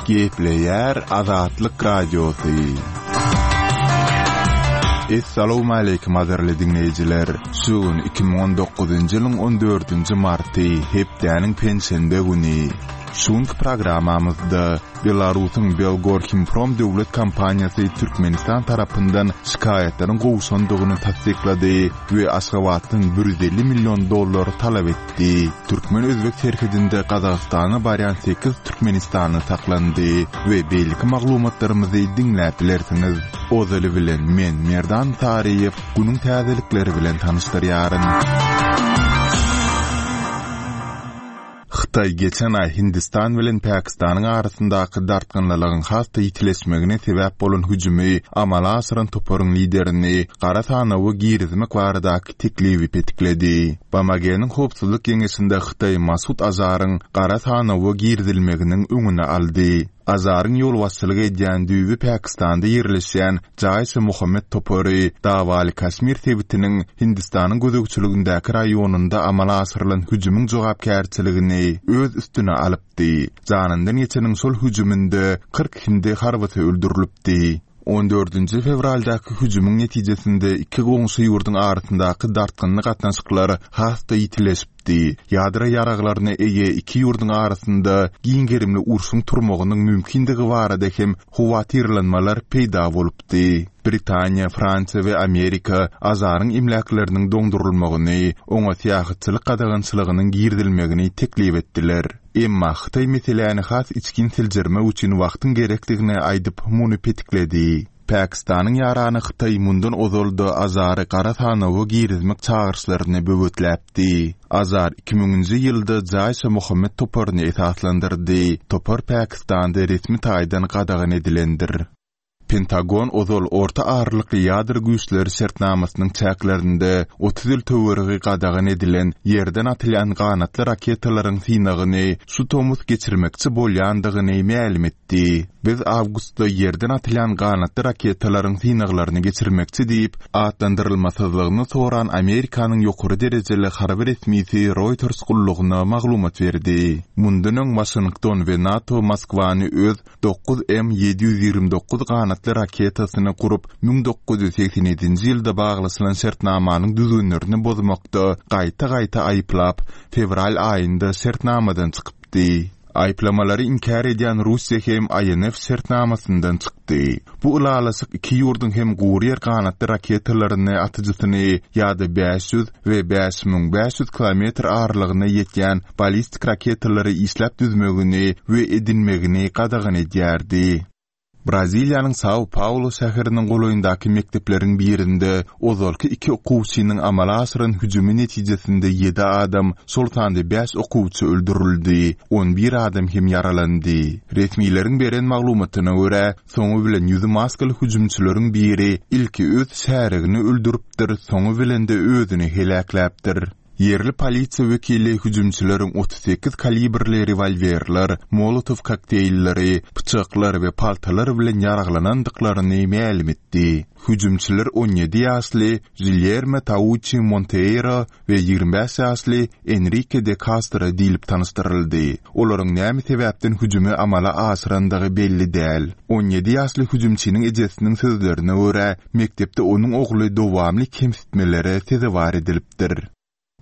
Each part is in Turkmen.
Gepleýär Azatlyk Radiosy. Essalawmaleýkim gadyrly diňleýjiler! Şu gün 2019-njy ýylyň 14-nji marty, hepdäniň penşenbe güni. Şu günki programmamyzda Belarusyň Belgorhimprom döwlet kompaniýasy Türkmenistan tarapyndan şikaýatlaryň gowşandygyny tassyklady we Aşgabatdan 150 million dollar talap etdi. Türkmen-özbek serhedinde Gazagystana barýan sekiz türkmenistanly saklandy we beýleki maglumatlarymyzy diňläp bilersiňiz. Ozaly bilen men, Merdan Saryýew, günüň täzelikleri bilen tanyşdyrýaryn. Hytaý geçen aý Hindistan bilen Pakistanyň arasyndaky dartgynlylygyň has-da ýitileşmegine sebäp bolan hüjümi amala aşyran toparyň liderini gara sanawa girizmek baradaky teklibi petikledi. BMG-niň Howpsuzlyk Geňeşinde Hytaý Masud Azaryň gara sanawa girizilmeginiň öňüni aldy. Azaryň ýolbaşçylyk edýän düýbi Pakistanda ýerleşýän Jaiş-e-Muhammet topary dawaly Kaşmir sebitiniň Hindistanyň gözegçiligindäki raýonynda amala aşyrylan hüjümiň jogapkärçiligini öz üstüne alypdy. Janyndan geçeniň şol hüjüminde 40 hindi harbysy öldürilipdi. On dördünji fewraldaky hüjümiň netijesinde iki goňşy ýurduň arasyndaky dartgynly gatnaşyklar has-da ýitileşipdi. Ýadro ýaraglaryna eýe iki ýurduň arasynda giň gerimli urşuň turmagynyň mümkindigi barada hem howatyrlanmalar peýda bolupdy. Britaniýa, Fransiýa we Amerika Azaryň emläkleriniň doňdurylmagyny, oňa syýahatçylyk gadagançylygynyň girizilmegini teklip etdiler. Emma Hytaý meseläni has içgin seljermek üçin wagtyň gerekdigini aýdyp, muny petikledi. Pakistanyň ýarany Hytaý mundan ozal-da Azary gara sanawa girizmek çagyryşlaryny böwetläpdi. Azar iki müňünji ýylda Jaiş-e-Mohammed toparyny esaslandyrdy. Topar Pakistanda resmi taýdan gadagan edilendir. Pentagon ozal Orta aralykly ýadro güýçleri şertnamasynyň çäklerinde 30 ýyl töweregi gadagan edilen ýerden atylýan ganatly raketalaryň synagyny şu tomus geçirmekçi bolýandygyny mälim etdi. Biz awgustda ýerden atylýan ganatly raketalaryň synaglaryny geçirmekçi diýip, atlandyrylmasyzlygyny soran Amerikanyň ýokary derejeli harby resmisi Reuters gullugyna maglumat berdi. Mundan öň Waşington we NATO Moskwany öz 9M 729 ganatly raketasyny gurup, 1987-nji ýylda baglaşylan şertnamanyň düzgünlerini bozmakda gaýta-gaýta aýyplap, fewral aýynda şertnamadan çykypdy. Aýyplamalary inkär edýän Russiýa hem INF şertnamasyndan çykdy. Bu ylalaşyk iki ýurduň hem gury ýer ganatly raketalaryny atyjysyny ýa-da 500 we 5500 kilometr aralygyna ýetýän ballistik raketalary işläp düzmegini we edinmegini gadagan edýärdi. Braziliýanyň Sao-Paulo şäheriniň golaýyndaky mekdepleriň birinde ozalky iki okuwçynyň amala aşyran hüjümi netijesinde ýedi adam, şol sanda bäş okuwçy öldürildi, on bir adam hem ýaralandy. Resmileriň beren maglumatyna görä, soňy bilen ýüzi maskaly hüjümçileriň biri ilki öz şärigini öldüripdir, soňy bilen-de özüni heläkläpdir. Ýerli polisiýa wekili hüjümçileriň 38 kalibrli rewolwerler, molotow kokteýlleri, pyçaklar we paltalar bilen ýaraglanandyklaryny mälim etdi. Hüjümçiler 17 ýaşly Žilýerme Tauçi Monteýro we 25 ýaşly Enrike de Kastro diýlip tanyşdyryldy. Olaryň näme sebäpden hüjümi amala aşyrandygy belli däl. 17 ýaşly hüjümçiniň ejesiniň sözlerine görä, mekdepde onuň ogly dowamly kemsitmelere sezewar edilipdir.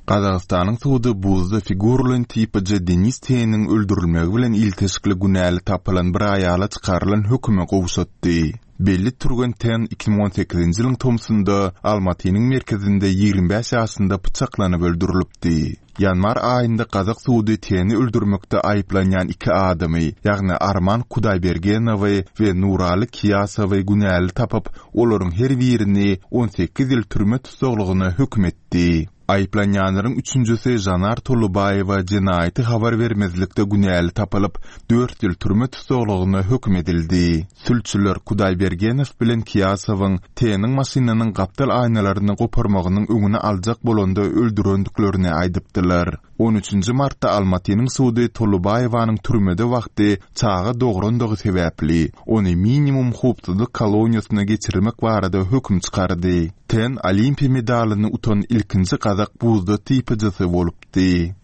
Gazagystanyň sudy buzda figuralaýyn typyjy Denis Teniň öldürilmegi bilen ilteşikli günäli tapylan bir aýala çykarylan hökümi gowşatdy. Belli türgen Ten 2018-nji ýylyň tomsunda Almatynyň merkezinde 25 ýaşynda pyçaklanyp öldürilipdi. Ýanwar aýynda gazak sudy Teni öldürmekde aýyplanýan iki adamy, ýagny Arman Kudaýbergenowy we Nuraly Kiýasowy günäli tapyp, olaryň her birini 18 ýyl türme tussaglygyna höküm etdi. Aýyplanýanlaryň üçünjisi Žanar Tolubaýewa jenaýaty habar bermezlikde günäli tapylyp, dört ýyl türme tussaglygyna höküm edildi. Sülçüler Kudaýbergenow bilen Kiýasowyň T-niň maşynynyň gapdal aýnalaryny goparmagynyň öňüni aljak bolanda öldürendiklerini aýdypdylar. On üçünji martda Almatynyň sudy Tolubaýewanyň türmede wagty çaga dograndygy sebäpli, ony minimum howpsuzlyk koloniýasyna geçirmek barada höküm çykardy. Ten olimpiýa medalyny utan ilkinji gazak buzda typyjysy bolupdy.